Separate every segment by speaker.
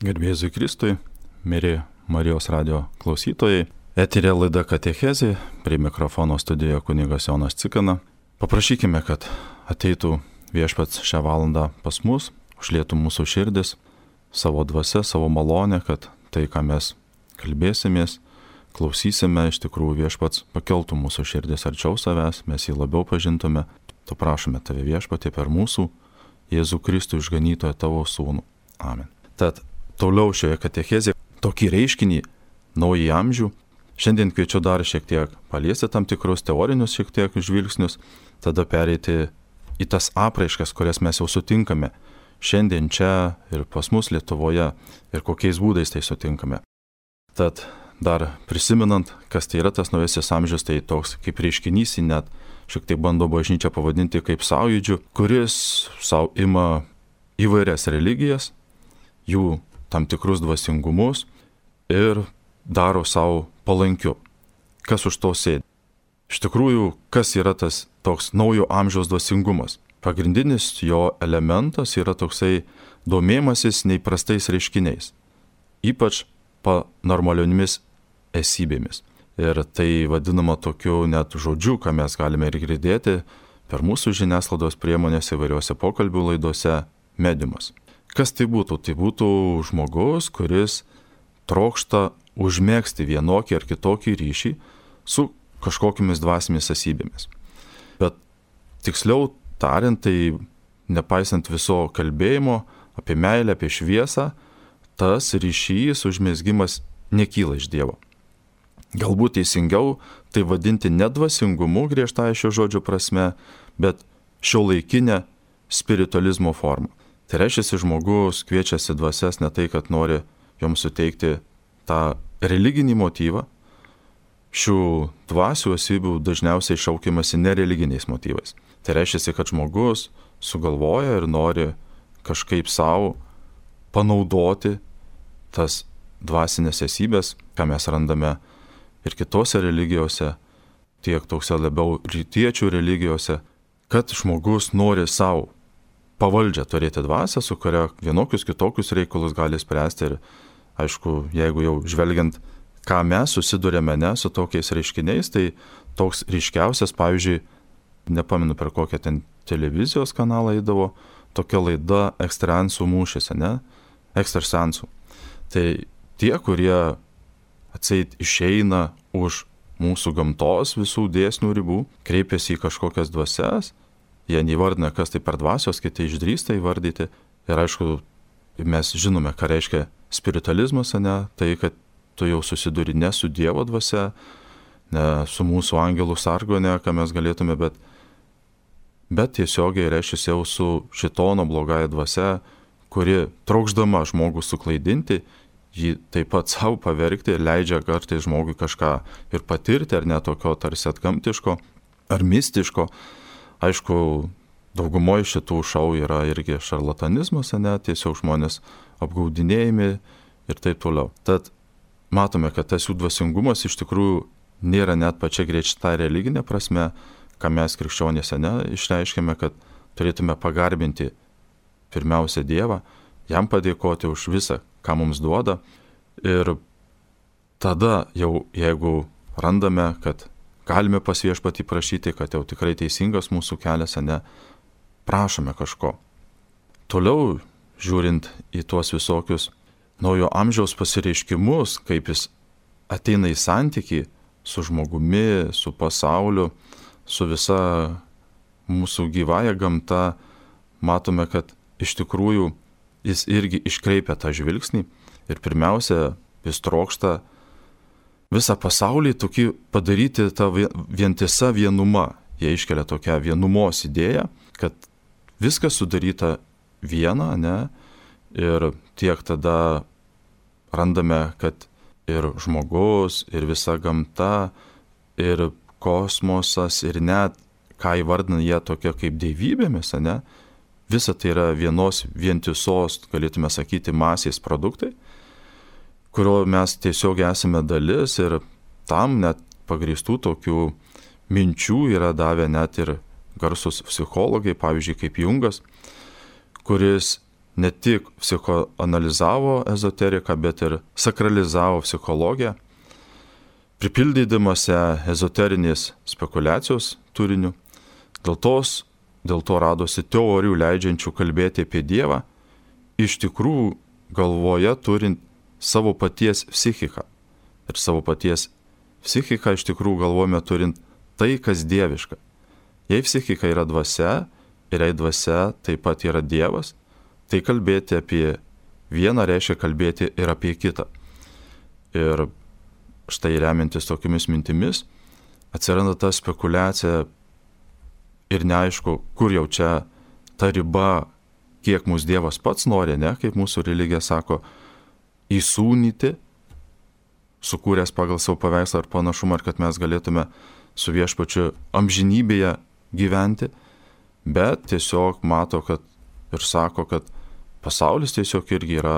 Speaker 1: Garbė Jėzui Kristui, mieli Marijos radio klausytojai. Eterė laida Katechezė, prie mikrofono studijoje kunigas Jonas Cikana. Paprašykime, kad ateitų Viešpats šią valandą pas mus, užlietų mūsų širdis, savo dvasia, savo malonę, kad tai, ką mes kalbėsimės, klausysime, iš tikrųjų Viešpats pakeltų mūsų širdis arčiau savęs, mes jį labiau pažintume. Tu prašome tave Viešpatie per mūsų Jėzų Kristų išganytoją tavo sūnų. Amen. Tad toliau šioje katechezėje tokį reiškinį, naują amžių. Šiandien kviečiu dar šiek tiek paliesti tam tikrus teorinius šiek tiek žvilgsnius, tada pereiti į tas apraiškas, kurias mes jau sutinkame šiandien čia ir pas mus Lietuvoje ir kokiais būdais tai sutinkame. Tad dar prisimenant, kas tai yra tas naujasis amžius, tai toks kaip reiškinys, net šiek tiek bando bažnyčia pavadinti kaip sąjūdžiu, kuris savo ima įvairias religijas, jų tam tikrus dvasingumus ir daro savo palankiu. Kas už to sėdi? Iš tikrųjų, kas yra tas toks naujo amžiaus dvasingumas? Pagrindinis jo elementas yra toksai domėjimasis neįprastais reiškiniais, ypač paranormaliomis esybėmis. Ir tai vadinama tokiu net žodžiu, ką mes galime ir girdėti per mūsų žiniasklaidos priemonės įvairiuose pokalbių laidose – mediumas. Kas tai būtų? Tai būtų žmogus, kuris trokšta užmėgsti vienokį ar kitokį ryšį su kažkokiamis dvasinėmis esybėmis. Bet tiksliau tariant, tai nepaisant viso kalbėjimo apie meilę, apie šviesą, tas ryšys, užmezgimas nekyla iš Dievo. Galbūt teisingiau tai vadinti ne dvasingumu griežtąja šio žodžio prasme, bet šiuolaikinė spiritualizmo forma. Tai reiškia, žmogus kviečiasi dvasias ne tai, kad nori joms suteikti tą religinį motyvą. Šių dvasių esybių dažniausiai šaukiamasi nereliginiais motyvais. Tai reiškia, kad žmogus sugalvoja ir nori kažkaip savo panaudoti tas dvasinės esybės, ką mes randame ir kitose religijose, tiek tokse labiau rytiečių religijose, kad žmogus nori savo pavaldžią turėti dvasią, su kuria vienokius kitokius reikalus gali spręsti. Ir aišku, jeigu jau žvelgiant, ką mes susidurėme su tokiais reiškiniais, tai toks ryškiausias, pavyzdžiui, nepamenu per kokią ten televizijos kanalą eidavo, tokia laida ekstrasensų mūšis, ekstrasensų. Tai tie, kurie atseit išeina už mūsų gamtos visų dėsnių ribų, kreipiasi į kažkokias dvasias, jie neįvardina, kas tai per dvasios, kiti išdrįsta įvardyti. Ir aišku, mes žinome, ką reiškia spiritualizmas, tai kad tu jau susiduri ne su Dievo dvasia, ne su mūsų angelų sargone, ką mes galėtume, bet tiesiogiai reiškia jau su šitono blogąja dvasia, kuri trokšdama žmogų suklaidinti, jį taip pat savo pavergti ir leidžia kartais žmogui kažką ir patirti, ar ne tokio tarsi atgamtiško, ar mistiško. Aišku, daugumoje šitų šou yra irgi šarlatanizmas, tiesiog žmonės apgaudinėjami ir taip toliau. Tad matome, kad tas jų dvasingumas iš tikrųjų nėra net pačia griežta religinė prasme, ką mes krikščionys išreiškėme, kad turėtume pagarbinti pirmiausia Dievą, jam padėkoti už visą, ką mums duoda. Ir tada jau, jeigu randame, kad galime pas Viešpatį prašyti, kad jau tikrai teisingas mūsų kelias, prašome kažko. Toliau, žiūrint į tuos visokius naujo amžiaus pasireiškimus, kaip jis ateina į santykį su žmogumi, su pasauliu, su visa mūsų gyvąja gamta, matome, kad iš tikrųjų jis irgi iškreipia tą žvilgsnį ir pirmiausia, jis trokšta visą pasaulį tokį padaryti tą vientisą vienumą. Jie iškelia tokią vienumos idėją, kad viskas sudaryta viena, ir tiek tada randame, kad ir žmogus, ir visa gamta, ir kosmosas, ir net, ką įvardina jie tokia kaip dievybėmis, visa tai yra vienos vientisos, galėtume sakyti, masės produktai, kurio mes tiesiog esame dalis, ir tam net pagrįstų tokių minčių yra davę net ir garsus psichologai, pavyzdžiui, kaip Jungas, kuris ne tik psichoanalizavo ezoteriką, bet ir sakralizavo psichologiją, pripildydamas ezoterinės spekulacijos turiniu. Dėl to radosi teorijų leidžiančių kalbėti apie Dievą, iš tikrųjų galvoje turint savo paties psichiką. Ir savo paties psichiką iš tikrųjų galvojame turint tai, kas dieviška. Jei psichika yra dvasia ir jei dvasia taip pat yra Dievas, tai kalbėti apie vieną reiškia kalbėti ir apie kitą. Ir štai remiantis tokiamis mintimis atsiranda ta spekulacija ir neaišku, kur jau čia ta riba, kiek mūsų Dievas pats nori, ne, kaip mūsų religija sako, įsūnyti, sukūręs pagal savo paveikslą ar panašumą, ar kad mes galėtume su Viešpačiu amžinybėje gyventi, bet tiesiog mato, kad ir sako, kad pasaulis tiesiog irgi yra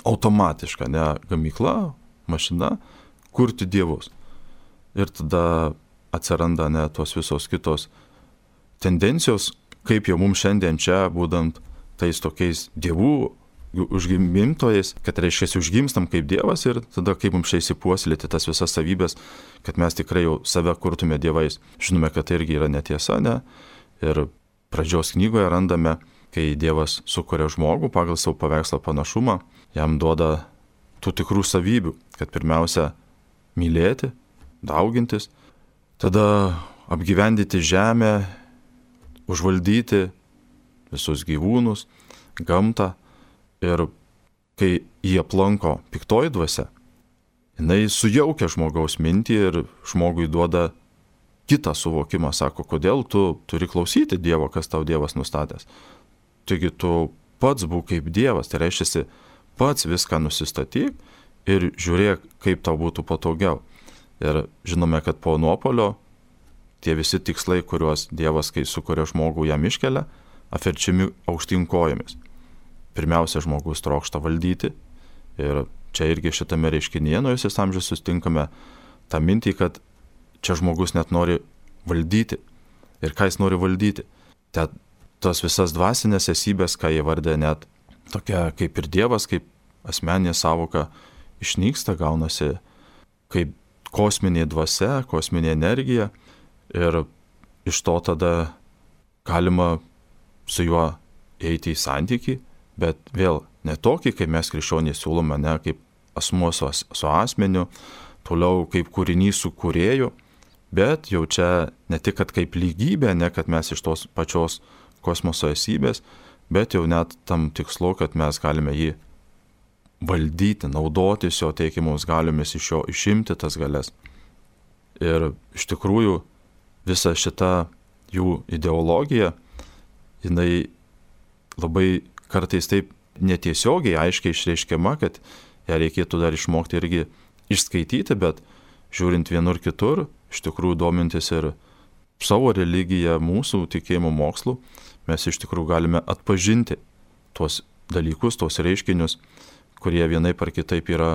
Speaker 1: automatiška, ne gamykla, mašina, kurti dievus. Ir tada atsiranda ne tos visos kitos tendencijos, kaip jau mums šiandien čia, būdant tais tokiais dievų užgimimtojais, kad reiškia užgimstam kaip Dievas ir tada kaip mums čia įsipuoselėti tas visas savybės, kad mes tikrai jau save kurtume dievais. Žinome, kad tai irgi yra netiesa, ne? Ir pradžios knygoje randame, kai Dievas sukuria žmogų pagal savo paveikslą panašumą, jam duoda tų tikrų savybių, kad pirmiausia mylėti, daugintis, tada apgyvendyti žemę, užvaldyti visus gyvūnus, gamtą. Ir kai jie aplanko piktoji dvasia, jinai sujaukia žmogaus mintį ir žmogui duoda kitą suvokimą, sako, kodėl tu turi klausyti Dievo, kas tau Dievas nustatęs. Taigi tu pats būk kaip Dievas, tai reiškia, pats viską nusistatyk ir žiūrėk, kaip tau būtų patogiau. Ir žinome, kad po nuopolio tie visi tikslai, kuriuos Dievas, kai sukuria žmogų, jam iškelia, apverčiami aukštyn kojomis. Pirmiausia, žmogus trokšta valdyti ir čia irgi šitame reiškinyje naujasis amžius sustinkame tą mintį, kad čia žmogus net nori valdyti. Ir ką jis nori valdyti? Tos visas dvasinės esybės, ką jie vardė net tokia kaip ir Dievas, kaip asmeninė savoka išnyksta, gaunasi kaip kosminė dvasia, kosminė energija ir iš to tada galima su juo eiti į santykį, bet vėl ne tokį, kaip mes krikščionys siūlome, ne kaip asmuo su asmeniu, toliau kaip kūrinys su kūrėju, bet jau čia ne tik kaip lygybė, ne kad mes iš tos pačios kosmoso esybės, bet jau net tam tikslu, kad mes galime jį valdyti, naudotis jo teikiamus galiomis, iš jo išimti tas galias. Ir iš tikrųjų visa šita jų ideologija, jinai labai kartais taip netiesiogiai aiškiai išreiškiama, kad ją reikėtų dar išmokti irgi išskaityti, bet žiūrint vienur kitur, iš tikrųjų domintis ir savo religiją, mūsų tikėjimo mokslu, mes iš tikrųjų galime atpažinti tuos dalykus, tuos reiškinius, kurie vienaip ar kitaip yra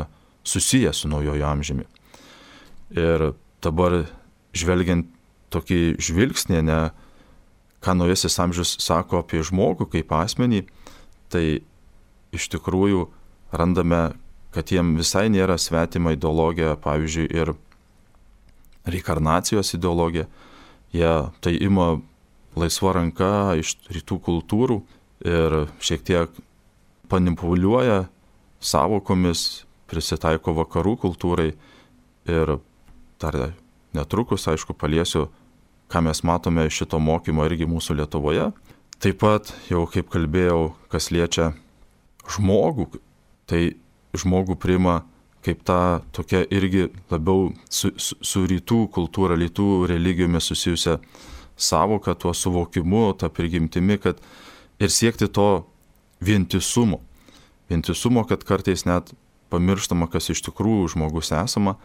Speaker 1: susiję su naujojo amžiumi. Ir dabar žvelgiant tokį žvilgsnį, ne, ką naujasis amžius sako apie žmogų kaip asmenį, tai iš tikrųjų randame, kad jiem visai nėra svetima ideologija, pavyzdžiui, ir reinkarnacijos ideologija. Jie tai ima laisva ranka iš rytų kultūrų ir šiek tiek manipuliuoja savokomis, prisitaiko vakarų kultūrai ir dar netrukus, aišku, paliesiu, ką mes matome iš šito mokymo irgi mūsų Lietuvoje. Taip pat, jau kaip kalbėjau, kas liečia žmogų, tai žmogų priima kaip ta tokia irgi labiau su rytų kultūra, rytų religijomis susijusia savoka, tuo suvokimu, ta prigimtimi, kad ir siekti to vientisumo. Vientisumo, kad kartais net pamirštama, kas iš tikrųjų žmogus esama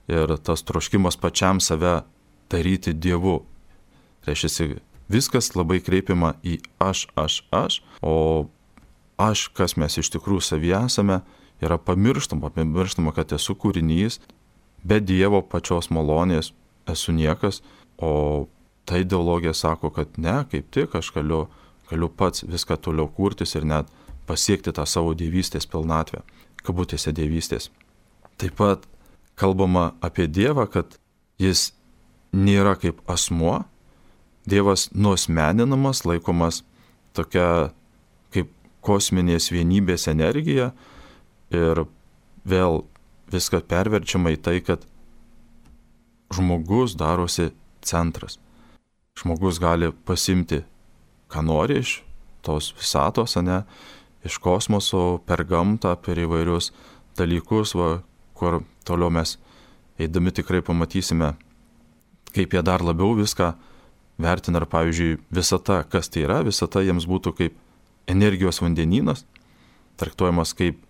Speaker 1: ir tas troškimas pačiam save daryti Dievu. Reiškia, viskas labai kreipiama į aš, o aš, kas mes iš tikrųjų savyje esame, yra pamirštama, kad esu kūrinys, be Dievo pačios malonės esu niekas, o ta ideologija sako, kad ne, kaip tik aš galiu galiu pats viską toliau kurtis ir net pasiekti tą savo dievystės pilnatvę, kabutėse dievystės. Taip pat kalbama apie Dievą, kad jis nėra kaip asmuo, Dievas nuasmeninamas, laikomas tokia kaip kosminės vienybės energija ir vėl viskas perverčiama į tai, kad žmogus darosi centras. Žmogus gali pasimti, ką nori iš tos visatos, iš kosmoso, per gamtą, per įvairius dalykus, kur toliau mes eidami tikrai pamatysime, kaip jie dar labiau viską vertina. Ar pavyzdžiui, visata, kas tai yra, visata jiems būtų kaip energijos vandenynas, traktuojamas kaip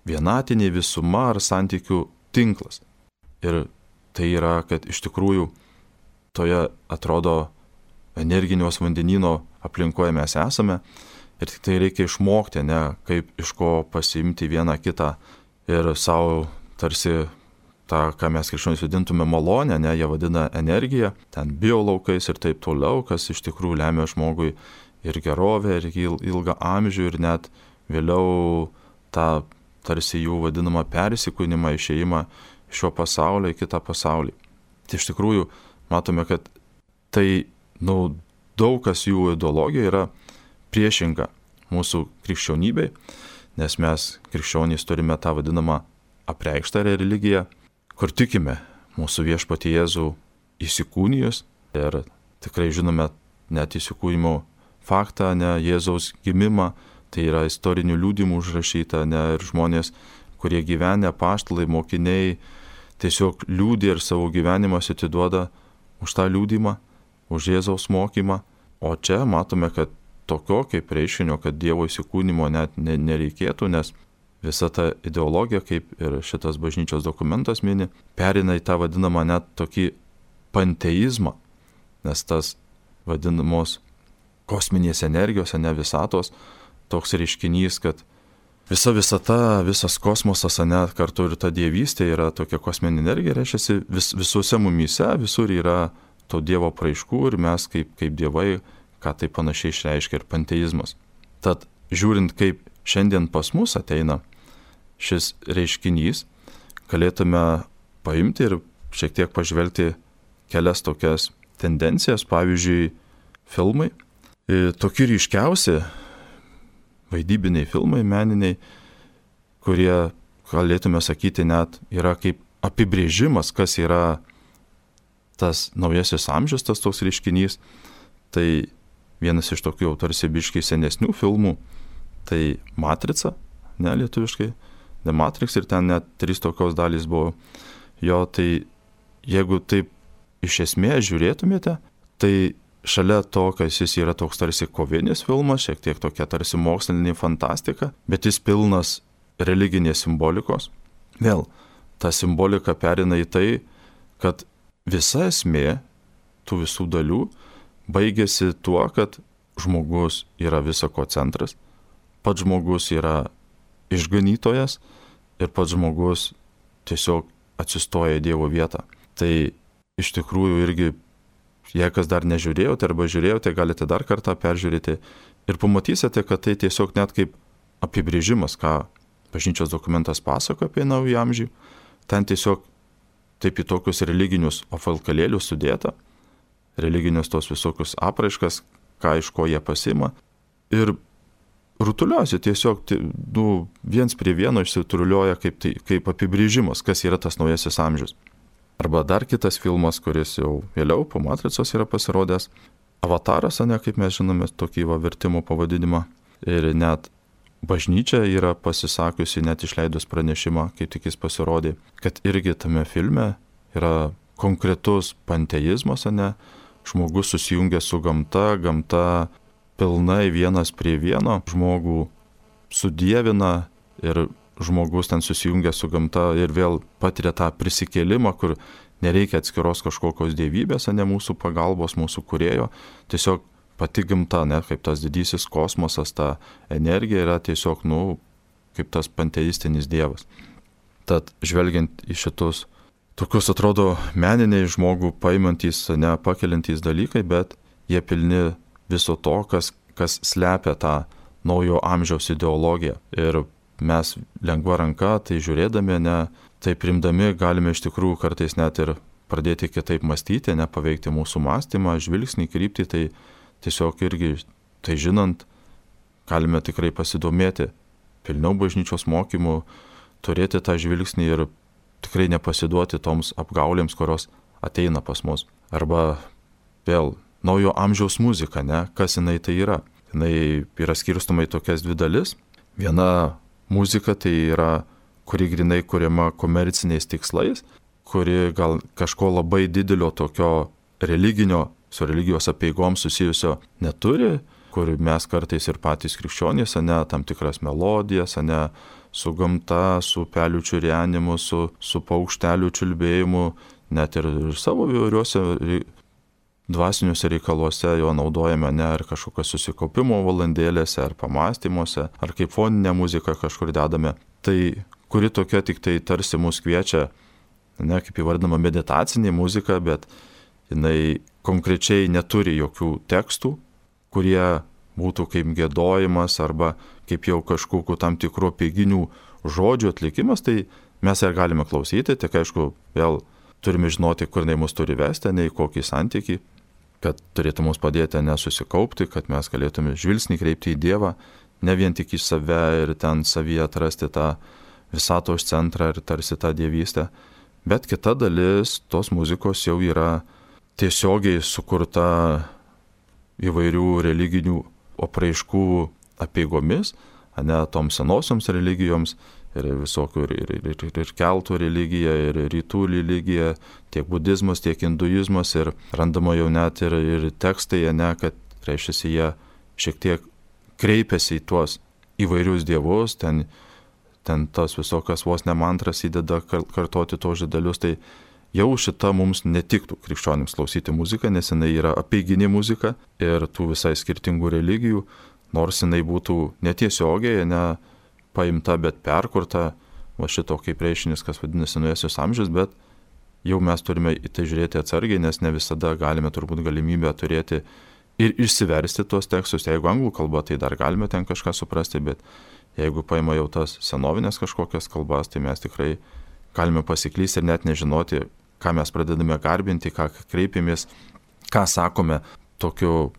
Speaker 1: vienatinė visuma ar santykių tinklas. Ir tai yra, kad iš tikrųjų toje atrodo energinios vandenyno aplinkoje mes esame ir tik tai reikia išmokti, kaip iš ko pasiimti vieną kitą ir savo tarsi tą, ką mes krikščionys vadintume malonę, jie vadina energiją, ten biolaukais ir taip toliau, kas iš tikrųjų lemia žmogui ir gerovę, ir ilgą amžių, ir net vėliau tą tarsi jų vadinamą persikūnimą, išėjimą iš šio pasaulio į kitą pasaulį. Tai iš tikrųjų matome, kad tai, daug kas jų ideologija yra priešinga mūsų krikščionybei, nes mes krikščionys turime tą vadinamą apreikštą religiją, kur tikime mūsų viešpatį Jėzų įsikūnijus ir tikrai žinome net įsikūnimo faktą, Jėzaus gimimą, tai yra istorinių liudymų užrašyta, ir žmonės, kurie gyvenę, apaštalai, mokiniai, tiesiog liūdė ir savo gyvenimą atiduoda už tą liūdimą, už Jėzaus mokymą. O čia matome, kad tokio kaip reiškinio, kad Dievo įsikūnimo net nereikėtų, nes visa ta ideologija, kaip ir šitas bažnyčios dokumentas mini, perina į tą vadinamą net tokį panteizmą, nes tas vadinamos kosminės energijos, visatos, toks reiškinys, kad visa visata, visas kosmosas, kartu ir ta dievystė yra tokia kosminė energija, reiškia visuose mumyse, visur yra to Dievo praiškų ir mes kaip dievai, ką tai panašiai išreiškia ir panteizmas. Tad žiūrint, kaip šiandien pas mus ateina šis reiškinys, galėtume paimti ir šiek tiek pažvelgti kelias tokias tendencijas, pavyzdžiui, filmai. Tokie ryškiausi vaidybiniai filmai, meniniai, kurie, galėtume sakyti, net yra kaip apibrėžimas, kas yra tas naujasis amžius, tas toks reiškinys. Tai vienas iš tokių tarsi biškai senesnių filmų, tai Matrica, lietuviškai, The Matrix, ir ten net 3 tokios dalys buvo. Jo, tai jeigu taip iš esmės žiūrėtumėte, tai šalia to, kad jis yra toks tarsi kovinis filmas, šiek tiek tokia tarsi mokslinė fantastika, bet jis pilnas religinės simbolikos. Vėl, ta simbolika perina į tai, kad visa esmė tų visų dalių baigėsi tuo, kad žmogus yra visako centras, pats žmogus yra išganytojas ir pats žmogus tiesiog atsistoja į Dievo vietą. Tai iš tikrųjų irgi, jei kas dar nežiūrėjote arba žiūrėjote, galite dar kartą peržiūrėti ir pamatysite, kad tai tiesiog net kaip apibrėžimas, ką bažnyčios dokumentas pasako apie naują amžių. Ten tiesiog taip į tokius religinius apvalkalėlius sudėta, religinius tos visokius apraiškas, ką iš ko jie pasima. Ir rutuliuosi tiesiog, viens prie vieno išsitruliuoja kaip apibrėžimas, kas yra tas naujasis amžius. Arba dar kitas filmas, kuris jau vėliau po Matricos yra pasirodęs, Avataras, kaip mes žinome, tokį vertimo pavadinimą. Ir net bažnyčia yra pasisakiusi, net išleidus pranešimą, kaip tik jis pasirodė, kad irgi tame filme yra konkretus panteizmas, žmogus susijungia su gamta, gamta pilnai vienas prie vieno, žmogų sudievina ir žmogus ten susijungia su gamta ir vėl patiria tą prisikėlimą, kur nereikia atskiros kažkokios dievybės, mūsų pagalbos, mūsų kūrėjo, tiesiog pati gamta, kaip tas didysis kosmosas, ta energija yra tiesiog, kaip tas panteistinis dievas. Tad žvelgiant į šitus, tokius atrodo meniniai žmogų paimantys, pakeliantys dalykai, bet jie pilni viso to, kas kas slepia tą naujo amžiaus ideologiją. Ir mes lengva ranka, tai žiūrėdami, tai primdami, galime iš tikrųjų kartais net ir pradėti kitaip mąstyti, paveikti mūsų mąstymą, žvilgsnį, kryptį, tai tiesiog irgi, tai žinant, galime tikrai pasidomėti pilniau bažnyčios mokymų, turėti tą žvilgsnį ir tikrai nepasiduoti toms apgaulėms, kurios ateina pas mus. Arba vėl naujo amžiaus muzika, kas jinai tai yra. Jinai yra skirstoma į tokias dvi dalis. Viena muzika tai yra, kuri grinai kuriama komerciniais tikslais, kuri gal kažko labai didelio tokio religinio, su religijos apeigoms susijusio neturi, kur mes kartais ir patys krikščionys, tam tikras melodijas, su gamta, su pelių čiurenimu, su paukštelių čiulbėjimu, net ir savo įvairiuose dvasiniuose reikaluose jo naudojame, ar kažkokios susikaupimo valandėlėse, ar pamąstymuose, ar kaip foninę muziką kažkur dedame. Tai kuri tokia tik tai tarsi mus kviečia, kaip įvardinama meditacinė muzika, bet jinai konkrečiai neturi jokių tekstų, kurie būtų kaip giedojimas arba kaip jau kažkokių tam tikrų apeiginių žodžių atlikimas, tai mes ir galime klausyti, tik aišku, vėl turime žinoti, kur jinai mus turi vesti, į kokį santykį, kad turėtų mums padėti nesusikaupti, kad mes galėtume žvilgsnį kreipti į Dievą, ne vien tik į save ir ten savyje atrasti tą visatos centrą ir tarsi tą dievystę, bet kita dalis tos muzikos jau yra tiesiogiai sukurta įvairių religinių apraiškų apeigomis, toms senosioms religijoms, ir visokių ir keltų religija, ir rytų religija, tiek budizmas, tiek hinduizmas, ir randama jau net ir tekstai, kad reiškia, jie šiek tiek kreipiasi į tuos įvairius dievus, ten tas visokias vos ne mantras įdeda kartoti tos žodelius, tai jau šita mums netiktų krikščionims klausyti muziką, nes jinai yra apeiginė muzika ir tų visai skirtingų religijų, nors jinai būtų netiesiogiai, paimta, bet perkurta, va šito kaip reiškinys, kas vadinasi naujasis amžius, bet jau mes turime į tai žiūrėti atsargiai, nes ne visada galime turbūt galimybę turėti ir išsiversti tuos tekstus. Jeigu anglų kalba, tai dar galime ten kažką suprasti, bet jeigu paima jau tas senovinės kažkokias kalbas, tai mes tikrai galime pasiklysti ir net nežinoti, ką mes pradedame garbinti, ką kreipiamės, ką sakome tokiu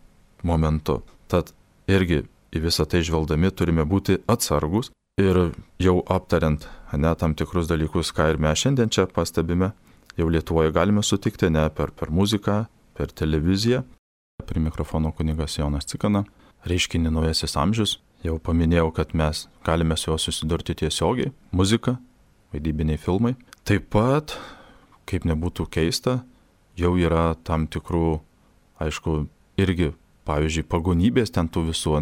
Speaker 1: momentu. Tad irgi į visą tai žvelgdami turime būti atsargus ir jau aptariant tam tikrus dalykus, ką ir mes šiandien čia pastebime, jau Lietuvoje galime sutikti per muziką, per televiziją. Prie mikrofono kunigas Jonas Cikana, reiškinį naujasis amžius. Jau paminėjau, kad mes galime su juo susidurti tiesiogiai. Muzika, vaidybiniai filmai. Taip pat, kaip nebūtų keista, jau yra tam tikrų, aišku, irgi, pavyzdžiui, pagonybės ten tų visų,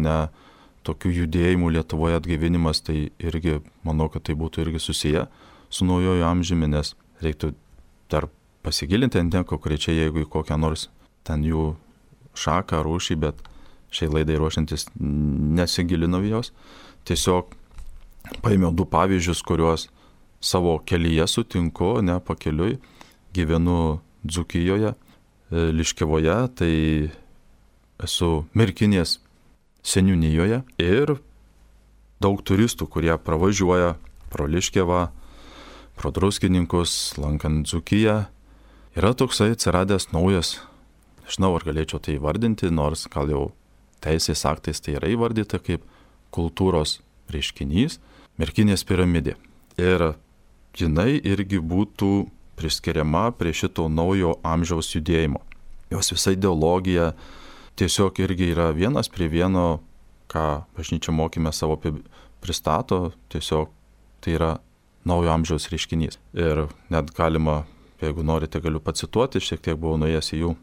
Speaker 1: tokių judėjimų Lietuvoje atgaivinimas, tai irgi, manau, kad tai būtų irgi susiję su naujojo amžiumi, nes reiktų dar pasigilinti konkrečiai, jeigu į kokią nors ten jų šaką, rūšį, bet šiai laidai ruošiantis nesigilinau jos. Tiesiog paėmiau 2 pavyzdžius, kuriuos savo kelyje sutinku, pakeliui. Gyvenu Dzūkijoje, Liškiavoje, tai esu Merkinės seniūnijoje ir daug turistų, kurie pravažiuoja pro Liškiavą, pro Druskininkus, lankant Dzūkiją. Yra toksai atsiradęs naujas, nežinau, ar galėčiau tai įvardinti, nors gal jau teisės aktais tai yra įvardyta kaip kultūros reiškinys, Merkinės piramidė. Ir jinai irgi būtų priskiriama prie šito naujo amžiaus judėjimo. Jos visa ideologija tiesiog irgi yra vienas prie vieno, ką bažnyčia mokyme savo pristato, tiesiog tai yra naujo amžiaus reiškinys. Ir net galima, jeigu norite, galiu pacituoti, šiek tiek buvau nuėjęs į jų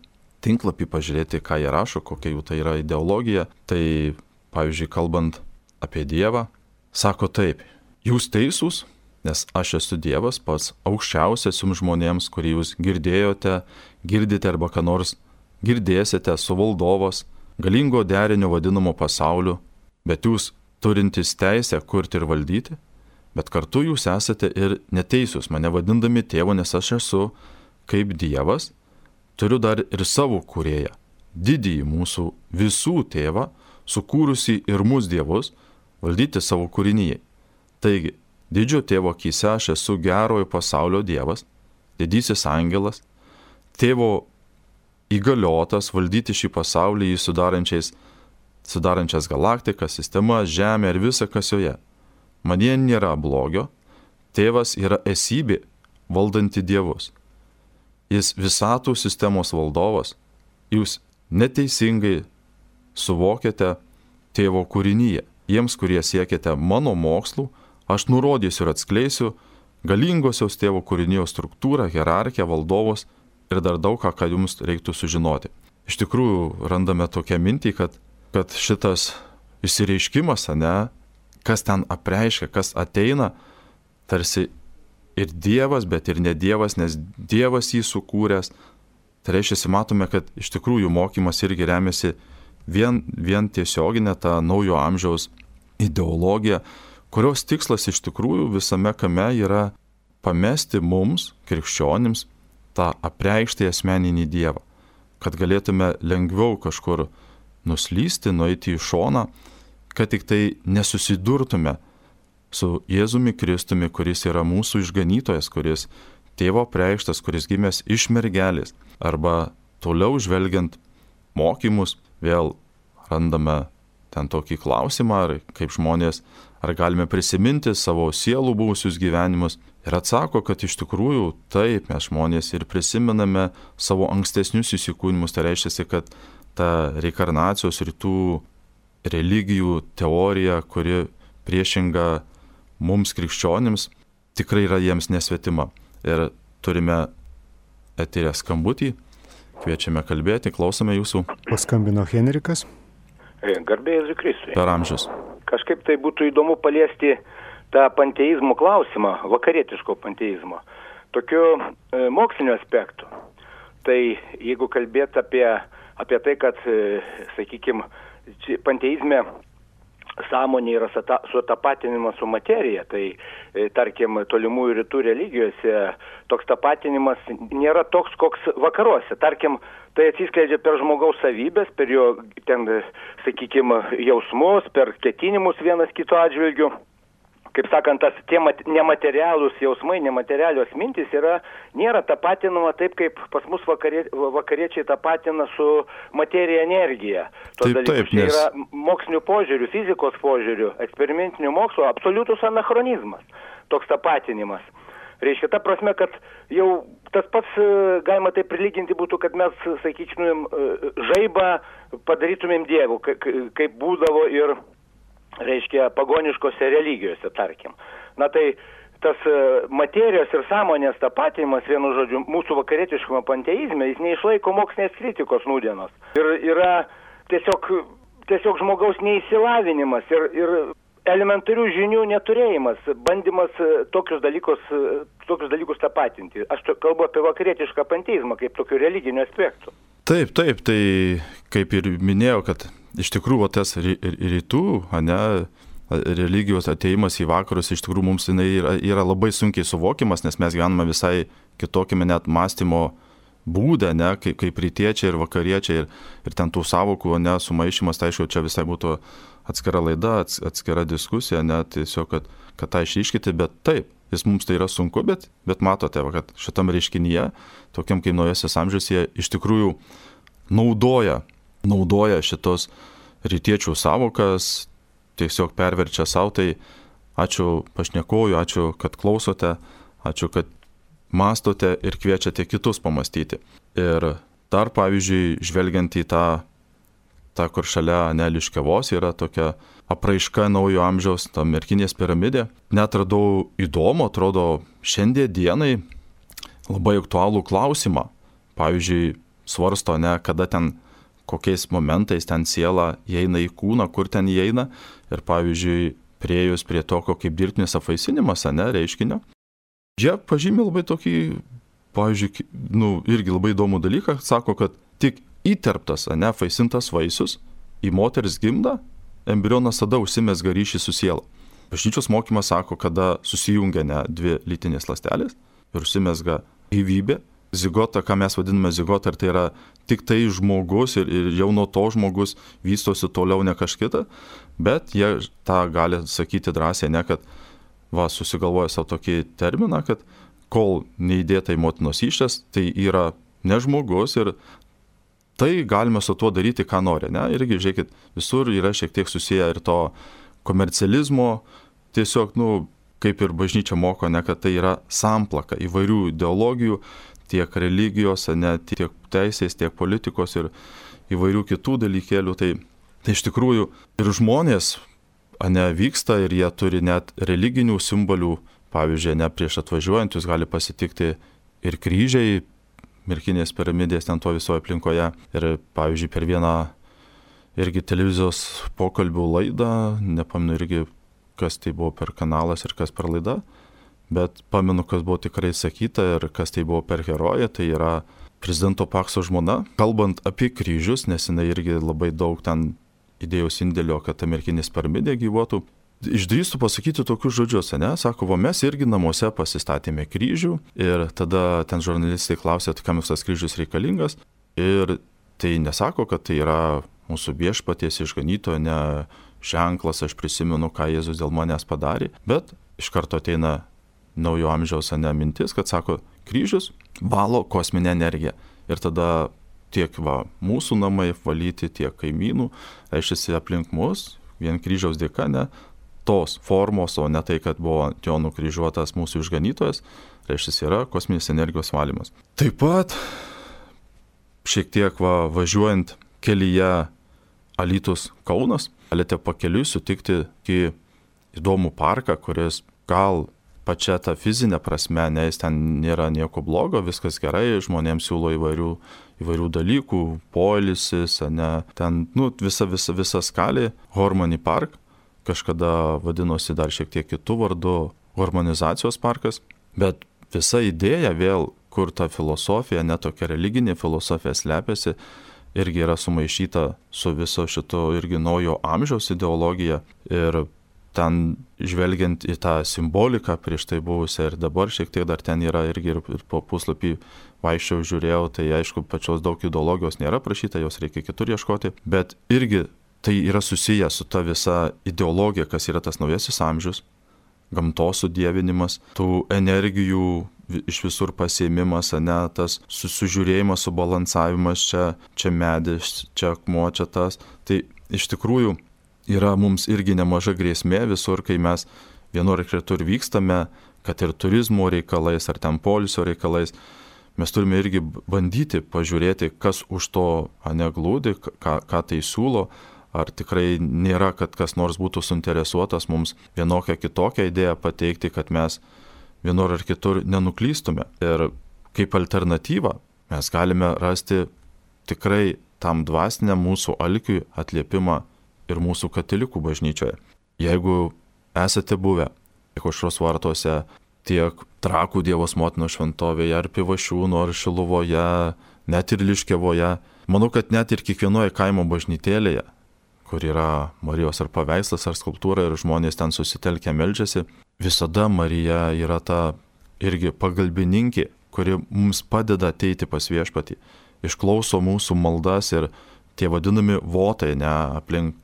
Speaker 1: tinklapį pažiūrėti, ką jie rašo, kokia jų tai yra ideologija. Tai, pavyzdžiui, kalbant apie Dievą, sako taip: jūs teisūs, nes aš esu Dievas, pats aukščiausias jums žmonėms, kurį jūs girdėjote, girdite arba ką nors girdėsite, su valdovas, galingo derinio vadinamo pasauliu, bet jūs turintys teisę kurti ir valdyti, bet kartu jūs esate ir neteisūs, mane vadindami tėvu, nes aš esu kaip Dievas, turiu dar ir savo kūrėją, didįjį mūsų visų tėvą, sukūrusi ir mus dievus, valdyti savo kūrinyje. Taigi, didžio tėvo akyse aš esu gerojo pasaulio dievas, didysis angelas, tėvo įgaliotas valdyti šį pasaulį jį sudarančias galaktikas, sistemas, žemę ir visą, kas joje. Manyje nėra blogio, tėvas yra esybė valdanti dievus. Jis visatų sistemos valdovas, jūs neteisingai suvokiate tėvo kūrinyje. Jiems, kurie siekiate mano mokslų, aš nurodysiu ir atskleisiu galingosios tėvo kūrinijos struktūrą, hierarchiją, valdovus ir dar daug ką jums reiktų sužinoti. Iš tikrųjų, randame tokią mintį, kad šitas išsireiškimas, kas ten apreiškia, kas ateina, tarsi ir Dievas, bet ir ne Dievas, nes Dievas jį sukūręs. Tai reiškia, matome, kad iš tikrųjų mokymas irgi remiasi vien tiesioginė ta naujo amžiaus ideologija, kurios tikslas iš tikrųjų visame kame yra pamesti mums, krikščionims, tą apreikštą asmeninį Dievą, kad galėtume lengviau kažkur nuslysti, nueiti į šoną, kad tik tai nesusidurtume su Jėzumi Kristumi, kuris yra mūsų išganytojas, kuris tėvo apreikštas, kuris gimęs iš mergelės. Arba toliau žvelgiant mokymus, vėl randame ten tokį klausimą, ar kaip žmonės, ar galime prisiminti savo sielų buvusius gyvenimus. Ir atsako, kad iš tikrųjų taip, mes žmonės ir prisimename savo ankstesnius įsikūnimus. Tai reiškia, kad ta reinkarnacijos rytų religijų teorija, kuri priešinga mums krikščionims, tikrai yra jiems nesvetima. Ir turime eterę skambutį, kviečiame kalbėti, klausome jūsų.
Speaker 2: Paskambino Henrikas.
Speaker 3: Garbė Jėzui Kristui.
Speaker 1: Per amžius.
Speaker 3: Kažkaip tai būtų įdomu paliesti tą panteizmo klausimą, vakarietiško panteizmo, tokiu moksliniu aspektu. Tai jeigu kalbėt apie tai, kad, sakykime, panteizme sąmonė yra sutapatinimas su materija, tai, tarkim, tolimųjų rytų religijose toks tapatinimas nėra toks, koks vakaruose. Tarkim, tai atsiskleidžia per žmogaus savybės, per jo, ten, sakykime, jausmus, per ketinimus vienas kito atžvilgių. Kaip sakant, tie nematerialūs jausmai, nematerialios mintis nėra tapatinama taip, kaip pas mus vakariečiai tapatina su materija energija.
Speaker 1: Taip,
Speaker 3: tai yra mokslinių požiūrių, fizikos požiūrių, eksperimentinių mokslo absoliutus anachronizmas, toks tapatinimas. Reiškia, ta prasme, kad jau tas pats galima tai prilyginti būtų, kad mes, sakyčiau, žaibą padarytumėm Dievu, kaip būdavo ir reiškia pagoniškose religijose, tarkim. Na tai tas materijos ir sąmonės tapatinimas, vienu žodžiu, mūsų vakarietiškame panteizme, jis neišlaiko mokslinės kritikos nūdienos. Ir yra tiesiog žmogaus neįsilavinimas ir elementarių žinių neturėjimas, bandymas tokius dalykus tapatinti. Aš kalbu apie vakarietišką panteizmą kaip tokių religinių aspektų.
Speaker 1: Taip, tai kaip ir minėjau, kad iš tikrųjų tas rytų, religijos ateimas į vakarus, iš tikrųjų mums yra labai sunkiai suvokiamas, nes mes gyvename visai kitokiame net mąstymo būdą, kaip rytiečiai ir vakariečiai, ir ten tų savokų sumaišymas, tai aišku, čia visai būtų atskira laida, atskira diskusija, tiesiog, kad tą išryškyti, bet taip, mums tai yra sunku, bet matote, kad šitam reiškinyje, tokiam kaip naujasis amžius, jie iš tikrųjų naudoja šitos rytiečių savokas, tiesiog perverčia savo. Tai ačiū pašnekovui, ačiū, kad klausote, ačiū, kad mąstote ir kviečiate kitus pamastyti. Ir dar, pavyzdžiui, žvelgiant į tą kur šalia Liškiavos yra tokia apraiška naujo amžiaus, ta Merkinės piramidė, net radau įdomu, atrodo, šiandien dienai labai aktualų klausimą. Pavyzdžiui, svarsto, kada ten, kokiais momentais ten siela įeina į kūną, kur ten įeina. Ir pavyzdžiui, priejus prie tokio kaip dirbtinis apvaisinimas, reiškinio. Jie pažymė labai tokį, pavyzdžiui, irgi labai įdomų dalyką, sako, kad tik įterptas, apvaisintas vaisius į moters gimdą, embrionas tada užsimezga ryšį su siela. Bažnyčios mokymas sako, kada susijungia dvi lytinės ląstelės ir užsimezga gyvybė, zigota, ką mes vadiname zigota, ar tai yra tik tai žmogus ir jau nuo to žmogus vystosi toliau ne kažkita, bet jie tą gali sakyti drąsiai, ne kad susigalvoja savo tokį terminą, kad kol neįdėta į motinos įsčias, tai yra ne žmogus ir tai galime su tuo daryti, ką nori. Ne? Irgi, žiūrėkit, visur yra šiek tiek susiję ir to komercializmo, tiesiog, kaip ir bažnyčia moko, ne, kad tai yra samplaka įvairių ideologijų, tiek religijos, ne, tiek teisės, tiek politikos ir įvairių kitų dalykėlių. Tai iš tikrųjų ir žmonės, vyksta ir jie turi net religinių simbolių. Pavyzdžiui, prieš atvažiuojant jūs gali pasitikti ir kryžiai, Merkinės piramidės ten to visoje aplinkoje. Ir pavyzdžiui, per vieną irgi televizijos pokalbių laidą, nepamenu irgi, kas tai buvo per kanalas ir kas per laida, bet pamenu, kas buvo tikrai sakyta ir kas tai buvo per herojė, tai yra prezidento Pakso žmona. Kalbant apie kryžius, nes jinai irgi labai daug ten idėjos indėlio, kad ta Merkinės piramidė gyvuotų. Išdrįstų pasakyti tokius žodžius, sako, mes irgi namuose pasistatėme kryžių ir tada ten žurnalistai klausė, kam tas kryžius reikalingas ir tai nesako, kad tai yra mūsų viešpaties išganytojo, ne ženklas, aš prisimenu, ką Jėzus dėl manęs padarė, bet iš karto ateina naujo amžiaus mintis, kad sako, kryžius valo kosminę energiją ir tada tiek mūsų namai valyti, tiek kaimynų, reiškia aplink mus, vien kryžiaus dėka, tos formos, o ne tai, kad buvo jo nukryžiuotas mūsų išganytojas, reiškia yra kosminės energijos valymas. Taip pat šiek tiek važiuojant kelyje Alytus Kaunas, galite pakeliui sutikti įdomų parką, kuris gal pačia ta fizinė prasme, jis ten nėra nieko blogo, viskas gerai, žmonėms siūlo įvairių dalykų, poilsis, ten visa skalė, Harmony Park, kažkada vadinosi dar šiek tiek kitų vardų, Harmonizacijos parkas, bet visa idėja vėl, kur ta filosofija, tokia religinė filosofija slepiasi, irgi yra sumaišyta su viso šito irgi naujo amžiaus ideologija ir ten žvelgiant į tą simboliką prieš tai buvusią ir dabar šiek tiek dar ten yra irgi ir po puslapį vaikščiau žiūrėjau, tai aišku, pačios daug ideologijos nėra prašyta, jos reikia kitur ieškoti, bet irgi tai yra susiję su ta visa ideologija, kas yra tas naujasis amžius, gamtos sudievinimas, tų energijų iš visur pasiėmimas, tas sužiūrėjimas, subalansavimas, čia medis, čia akmuo, čia tas. Tai iš tikrųjų yra mums irgi nemaža grėsmė visur, kai mes vienur ir kitur vykstame, kad ir turizmo reikalais ar ten poilsio reikalais, mes turime irgi bandyti pažiūrėti, kas už to glūdi, ką tai siūlo. Ar tikrai nėra, kad kas nors būtų suinteresuotas mums vienokią kitokią idėją pateikti, kad mes vienur ar kitur nenuklystume. Ir kaip alternatyvą mes galime rasti tikrai tam dvasiniam mūsų alkiui atliepimą ir mūsų katalikų bažnyčioje. Jeigu esate buvę tiek Aušros vartuose, tiek Trakų Dievos motinos šventovėje, ar Pivašiūnų, ar Šiluvoje, net ir Liškevoje, manau, kad net ir kiekvienoje kaimo bažnytėlėje, kur yra Marijos ar paveikslas, ar skulptūra ir žmonės ten susitelkę meldžiasi, visada Marija yra ta irgi pagalbininkė, kuri mums padeda ateiti pas viešpatį, išklauso mūsų maldas ir tie vadinami votai, aplink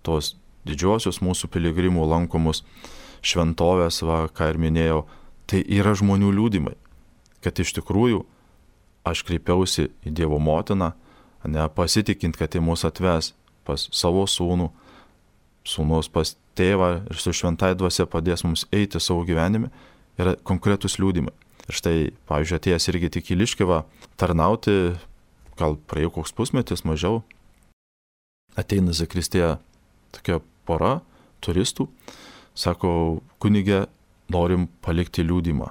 Speaker 1: tos didžiosios mūsų piligrimų lankomus šventovės, ką ir minėjau, tai yra žmonių liudymai, kad iš tikrųjų aš kreipiausi į Dievo motiną, pasitikint, kad į mus atves pas savo sūnų, sūnus pas tėvą ir su šventai dvasia padės mums eiti savo gyvenime, yra konkretus liudymai. Ir štai, pavyzdžiui, atėjęs irgi tik į Liškevą tarnauti, gal praėjo koks pusmetis mažiau, ateina zakristėje tokia pora turistų, sako, kunige, norim palikti liudymą.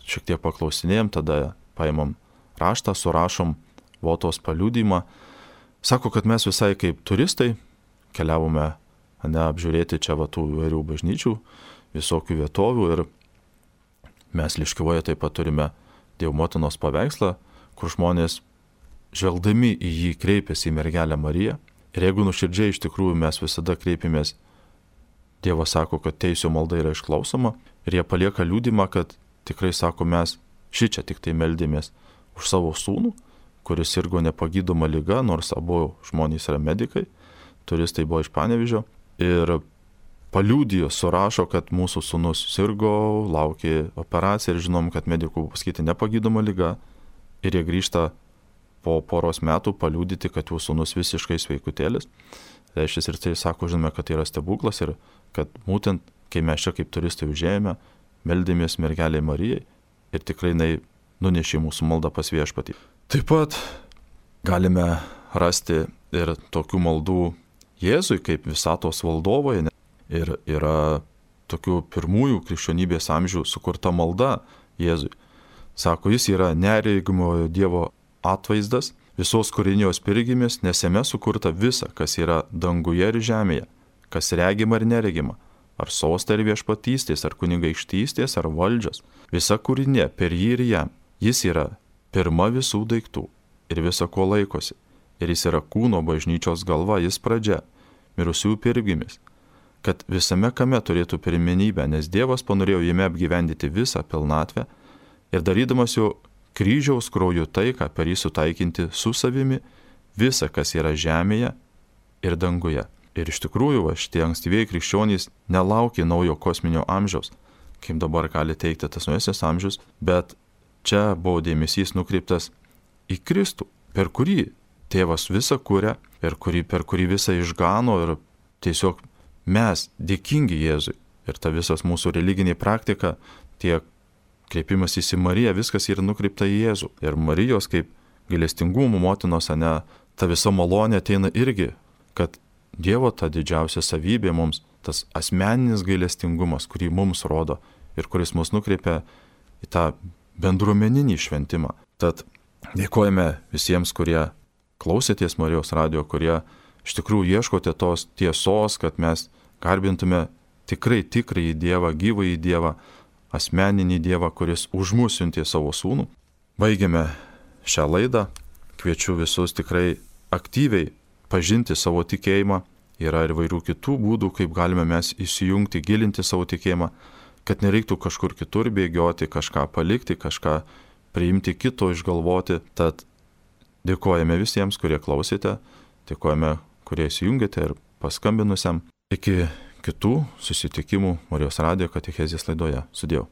Speaker 1: Šiek tiek paklausinėjom, tada paimam raštą, surašom votos paliudymą. Sako, kad mes visai kaip turistai keliavome apžiūrėti čia tų įvairių bažnyčių, visokių vietovių ir mes Liškevoje taip pat turime Dievo motinos paveikslą, kur žmonės žvelgdami į jį kreipiasi į mergelę Mariją ir jeigu nuoširdžiai iš tikrųjų mes visada kreipiamės, Dievas sako, kad teisio malda yra išklausoma ir jie palieka liudymą, kad tikrai sako, mes Šičia tik tai meldėmės už savo sūnų, kuris sirgo nepagydoma liga, nors abu žmonės yra medikai, turistai buvo iš Panevėžio, ir paliudijo, surašo, kad mūsų sūnus sirgo, laukė operaciją ir žinom, kad medikų pasakyti nepagydoma liga, ir jie grįžta po poros metų paliudyti, kad jų sūnus visiškai sveikutėlis. Reiškia, ir tai sako, žinome, kad tai yra stebuklas ir kad būtent, kai mes čia kaip turistai užėjome, meldėmės mergelei Marijai ir tikrai jinai nunešė mūsų maldą pas viešpatį. Taip pat galime rasti ir tokių maldų Jėzui kaip visatos valdovoje. Ir yra tokių pirmųjų krikščionybės amžių sukurta malda Jėzui. Sako, jis yra neregimojo Dievo atvaizdas, visos kūrinijos pirgimis, nes jame sukurta visa, kas yra danguje ir žemėje, kas regima ir neregima, ar sostą ir viešpatystės, ar kunigaikštystės, ar valdžios. Visa kūrinė per jį ir jam. Jis yra pirma visų daiktų ir visa ko laikosi. Ir jis yra kūno bažnyčios galva, jis pradžia, mirusiųjų pirgimis, kad visame kame turėtų pirmenybę, nes Dievas panorėjo jame apgyvendyti visą pilnatvę ir darydamas jo kryžiaus krauju taiką per jį sutaikinti su savimi visą, kas yra žemėje ir danguje. Ir iš tikrųjų, šitie ankstyvieji krikščionys nelaukė naujo kosminio amžiaus, kaip dabar gali teikti tas naujasis amžius, bet čia buvo dėmesys nukreiptas į Kristų, per kurį Tėvas visą kuria, per kurį visą išgano ir tiesiog mes dėkingi Jėzui. Ir ta visas mūsų religinė praktika, tiek kreipimas į Mariją, viskas yra nukreipta į Jėzų. Ir Marijos kaip gailestingumo motinos, ta visa malonė ateina irgi, kad Dievo ta didžiausia savybė mums, tas asmeninis gailestingumas, kurį mums rodo ir kuris mus nukreipia į tą bendruomeninį šventimą. Tad dėkojame visiems, kurie klausėtės Marijos radijo, kurie iš tikrųjų ieškote tos tiesos, kad mes garbintume tikrąjį Dievą, gyvąjį Dievą, asmeninį Dievą, kuris už mus siuntė savo sūnų. Baigiame šią laidą. Kviečiu visus tikrai aktyviai pažinti savo tikėjimą. Yra ir vairių kitų būdų, kaip galime mes įsijungti, gilinti savo tikėjimą, kad nereiktų kažkur kitur bėgioti, kažką palikti, kažką priimti kito, išgalvoti. Tad dėkojame visiems, kurie klausėte, dėkojame, kurie įsijungėte ir paskambinusiam. Iki kitų susitikimų Marijos radijo katechezės laidoje. Sudiev.